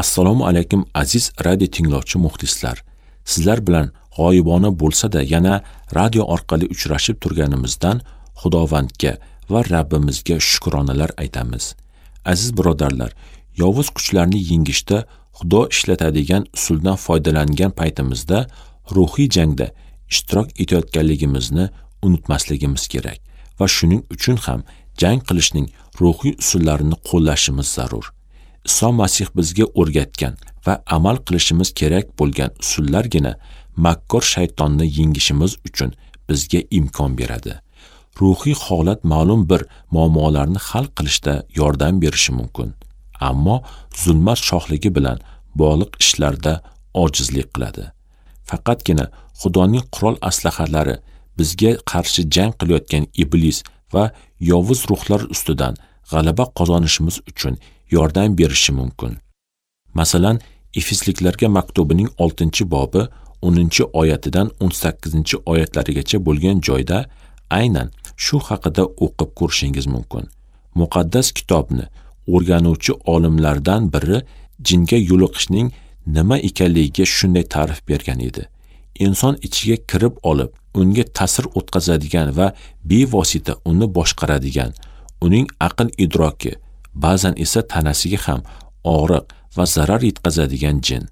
Assalomu alaykum aziz radio tinglovchi muxlislar. Sizlar bilan g'oyibona bo'lsa-da yana radio orqali uchrashib turganimizdan Xudovandga va Rabbimizga shukronalar aytamiz. Aziz birodarlar, yovuz kuchlarni yengishda Xudo ishlatadigan usuldan foydalangan paytimizda ruhiy jangda ishtirok etayotganligimizni unutmasligimiz kerak va shuning uchun ham jang qilishning ruhiy usullarini qo'llashimiz zarur. Iso Masih bizga o'rgatgan va amal qilishimiz kerak bo'lgan usullargina makkor shaytonni yengishimiz uchun bizga imkon beradi. Ruhiy holat ma'lum bir muammolarni hal qilishda yordam berishi mumkin, ammo zulmat shohligi bilan bog'liq ishlarda ojizlik qiladi. Faqatgina Xudoning qurol aslahalari bizga qarshi jang qilayotgan iblis va yovuz ruhlar ustidan g'alaba qozonishimiz uchun yordam berishi mumkin. Masalan, Efesliklarga maktubining 6-bobi 10-oyatidan 18-oyatlarigacha bo'lgan joyda aynan shu haqida o'qib ko'rishingiz mumkin. Muqaddas kitobni o'rganuvchi olimlardan biri jinga yo'liqishning nima ekanligiga shunday ta'rif bergan edi. Inson ichiga kirib olib, unga ta'sir o'tkazadigan va bevosita uni boshqaradigan, uning aql idroki, ba'zan esa tanasiga ham og'riq va zarar yetkazadigan jin.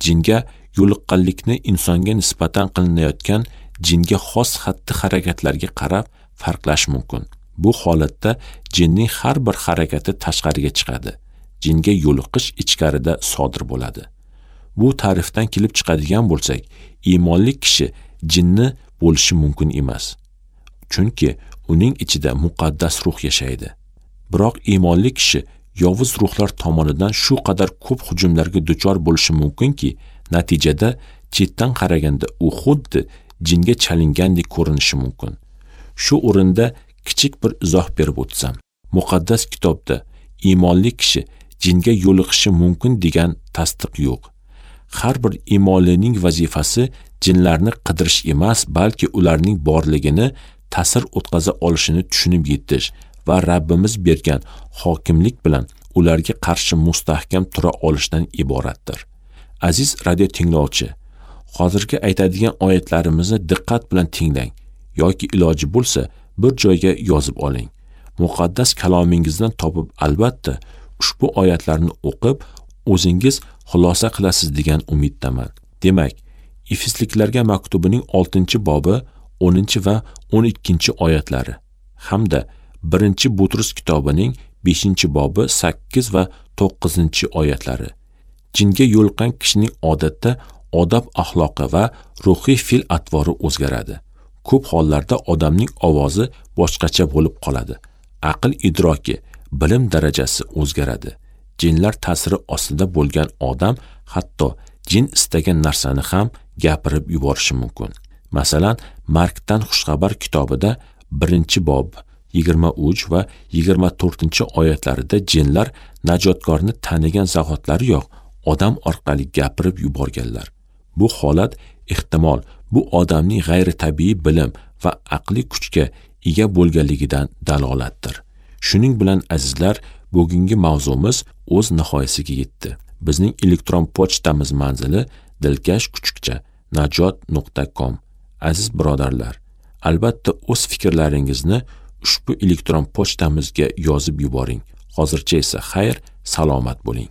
Jinga yo'liqqanlikni insonga nisbatan qilinayotgan jinga xos xatti-harakatlarga qarab farqlash mumkin. Bu holatda jinning har bir harakati tashqariga chiqadi. Jinga yo'liqish ichkarida sodir bo'ladi. Bu ta'rifdan kelib chiqadigan bo'lsak, iymonli kishi jinni bo'lishi mumkin emas. Chunki uning ichida muqaddas ruh yashaydi. Biroq iymonli kishi yovuz ruhlar tomonidan shu qadar ko'p hujumlarga duchor bo'lishi mumkinki, natijada chetdan qaraganda u xuddi jinga chalingandek ko'rinishi mumkin. Shu o'rinda kichik bir izoh berib o'tsam, muqaddas kitobda iymonli kishi jinga yo'liqishi mumkin degan tasdiq yo'q. Har bir iymonlining vazifasi jinlarni qidirish emas, balki ularning borligini, ta'sir o'tkaza olishini tushunib yetish va Rabbimiz bergan hokimlik bilan ularga qarshi mustahkam tura olishdan iboratdir. Aziz radio tinglovchi, hozirgi aytadigan oyatlarimizni diqqat bilan tinglang yoki iloji bo'lsa bir joyga yozib oling. Muqaddas kalomingizdan topib albatta ushbu oyatlarni o'qib o'zingiz xulosa qilasiz degan umiddaman. Demak, Efesliklarga maktubining 6-bobi 10 va 12 oyatlari hamda 1 Butrus kitobining 5-bobi 8 va 9 oyatlari. Jinga yo'liqqan kishining odatda odob axloqi va ruhiy fe'l atvori o'zgaradi. Ko'p hollarda odamning ovozi boshqacha bo'lib qoladi. Aql idroki, bilim darajasi o'zgaradi. Jinlar ta'siri ostida bo'lgan odam hatto jin istagan narsani ham gapirib yuborishi mumkin. Masalan, Markdan xushxabar kitobida 1-bob 23 va 24 oyatlarida jinlar najotkorni tanigan zahotlariyoq odam orqali gapirib yuborganlar. Bu holat ehtimol bu odamning g'ayritabiiy bilim va aqliy kuchga ega bo'lganligidan dalolatdir. Shuning bilan azizlar, bugungi mavzumiz o'z nihoyasiga yetdi. Bizning elektron pochtamiz manzili dilkash@najot.com. Aziz birodarlar, albatta o'z fikrlaringizni ushbu elektron pochtamizga yozib yuboring. Hozircha esa xayr, salomat bo'ling.